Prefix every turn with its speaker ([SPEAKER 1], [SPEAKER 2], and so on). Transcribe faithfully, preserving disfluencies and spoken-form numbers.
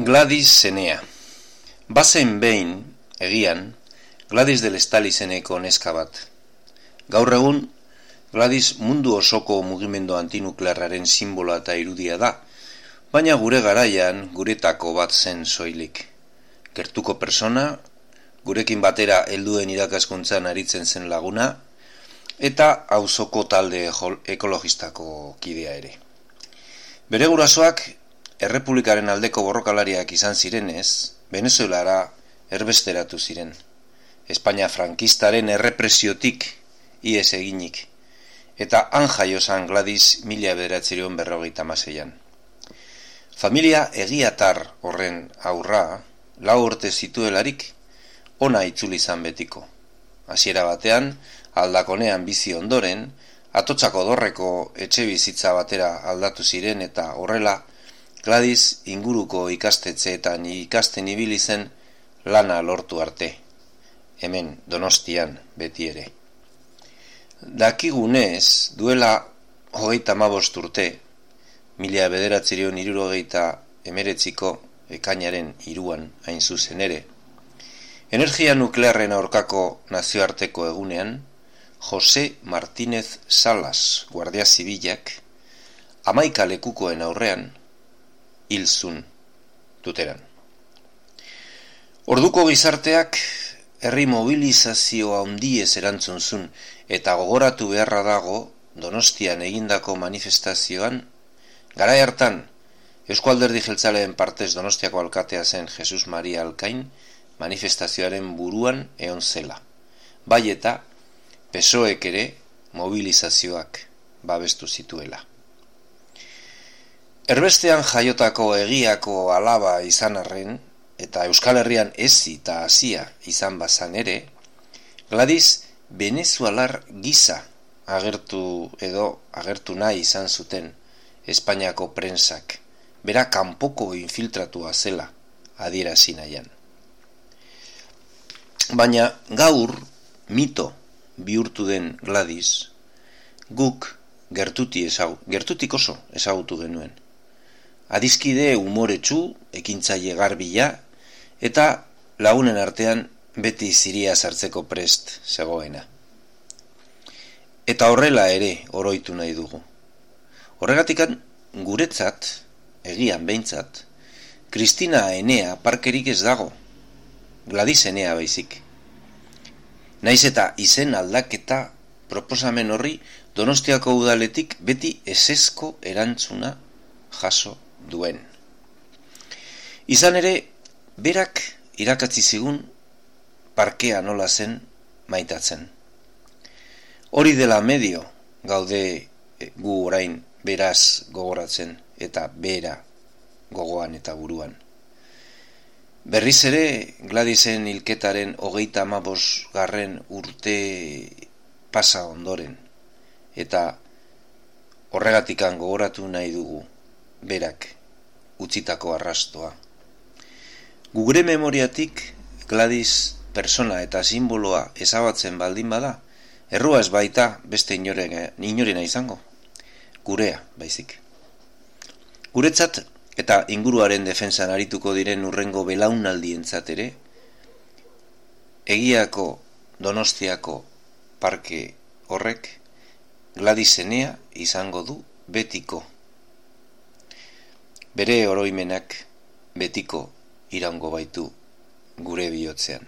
[SPEAKER 1] Gladys Zenea. Bazen behin, egian, Gladys del Estal izeneko neska bat. Gaur egun, Gladys mundu osoko mugimendu antinuklearraren simboloa eta irudia da, baina gure garaian guretako bat zen soilik. Gertuko persona, gurekin batera helduen irakaskuntzan aritzen zen laguna, eta auzoko talde ekologistako kidea ere. Bere gurasoak Errepublikaren aldeko borrokalariak izan zirenez, Venezuelara erbesteratu ziren. Espainia frankistaren errepresiotik ihes eginik, eta han jaio zan Gladys mila bederatziehun berrogeita hamaseian. Familia egiatar horren aurra, lau urte zituelarik, ona itzuli izan betiko. Hasiera batean, aldakonean bizi ondoren, Atotzako dorreko etxe bizitza batera aldatu ziren eta horrela, Gladys inguruko ikastetxeetan ikasten ibili zen lana lortu arte, hemen Donostian beti ere. Dakigunez, duela hogeita hamabost urte, mila bederatziehun hirurogeita hemeretziko ekainaren hiruan hain zuzen ere, energia nuklearren aurkako nazioarteko egunean, Jose Martínez Salas guardia zibilak, hamaika lekukoen aurrean, hil zun tuteran. Orduko gizarteak herri mobilizazioa handiez erantzun zun eta gogoratu beharra dago Donostian egindako manifestazioan, garai hartan Eusko Alderdi Jeltzaleen partez Donostiako alkatea zen Jesus Maria Alkain manifestazioaren buruan egon zela. Bai eta P S O Ek ere mobilizazioak babestu zituela. Erbestean jaiotako egiako alaba izan arren, eta Euskal Herrian ezi eta hasia izan bazan ere, Gladys venezuelar gisa agertu edo agertu nahi izan zuten Espainiako prentsak, bera kanpoko infiltratua zela adierazi nahian. Baina gaur mito bihurtu den Gladys, guk gertuti ezau, gertutik oso ezagutu genuen. Adiskide umoretsu, ekintzaile garbila, eta lagunen artean beti ziria sartzeko prest zegoena. Eta horrela ere oroitu nahi dugu. Horregatikan guretzat, egian behintzat, Kristina Enea parkerik ez dago, Gladys Enea baizik. Naiz eta izen aldaketa proposamen horri Donostiako udaletik beti ezezko erantzuna jaso duen. Izan ere, berak irakatsi zigun parkea nola zen maitatzen. Hori dela medio gaude gu orain beraz gogoratzen eta bera gogoan eta buruan. Berriz ere, Gladysen hilketaren hogeita hamabost garren urte pasa ondoren, eta horregatikan gogoratu nahi dugu berak utzitako arrastoa. Gure memoriatik Gladys persona eta simboloa ezabatzen baldin bada, errua ez baita beste inorena, inorena izango, gurea baizik. Guretzat eta inguruaren defentsan arituko diren urrengo belaunaldientzat ere, egiako Donostiako parke horrek Gladys Zenea izango du betiko. Bere oroimenak betiko iraungo baitu gure bihotzean.